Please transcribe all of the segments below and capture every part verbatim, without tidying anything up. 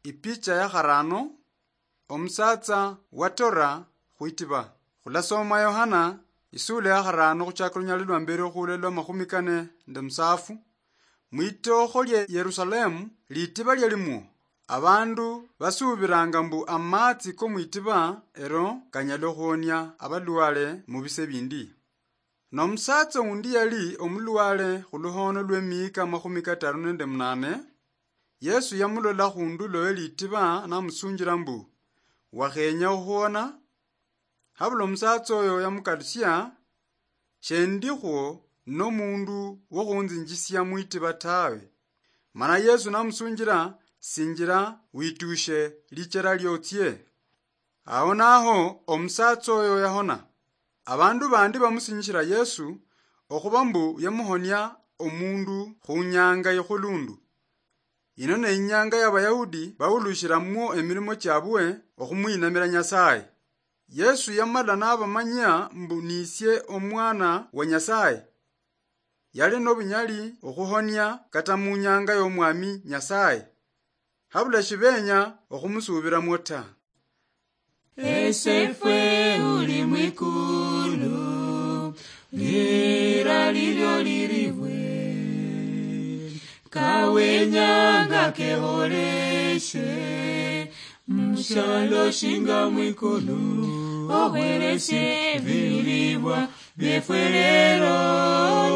Ipicha ya kharano, omusatsa watora khwitiba. Khulasoma Yohana, isula ya kharano khuchaka lunyali lwa mbere okhula lwa makhumi kane nende musafu. Mwitokho lye Yerusalemu, litiba lyalimwo. Abandu basuubiranga mbu amatsi ko mwitiba ero kanyala okhuhonia abalwale mu bise bindi. Nomusatsa undi yali omulwale khuluhono lwemiyika amakhumi kataru nende munane. Yesu yamulola khundulo elitiba namusunjila mbu, "Wakhenya okhuona?" Habula omusatsa oyo yamukalusia, "Shendikhwo nomundu wokhunzinjisia mwitiba tawe." Mana Yesu namusunjila, "Sinjila witushe lichera liotsie." Awo naho omusatsa oyo yahona. Abandu bandi bamusinyishila Yesu okhuba mbu yamuhonia omundu khunyanga ikhulundu. Ino ne inyanga ya Bayahudi bawulushilamwo emilimo chiabwe okhumwinamila Nyasaye. Yesu yamala nabamanyia mbu nisie omwana wa Nyasaye. Yali nobunyali okhuhonia kata munyanga yomwami Nyasaye. Habula shibenya okhumusubiramwo ta. Esefwe uli mwikulu, lira lilyo liribwe, kawenyanga keholeshe, mushalo shinga mwikulu, okhweleshe bilibwa byefwe lero,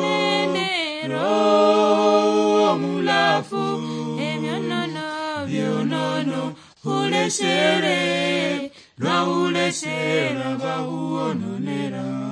nende Roho Omulafu, ebyonono byonono, huleshere, lwahuleshera bahuononera.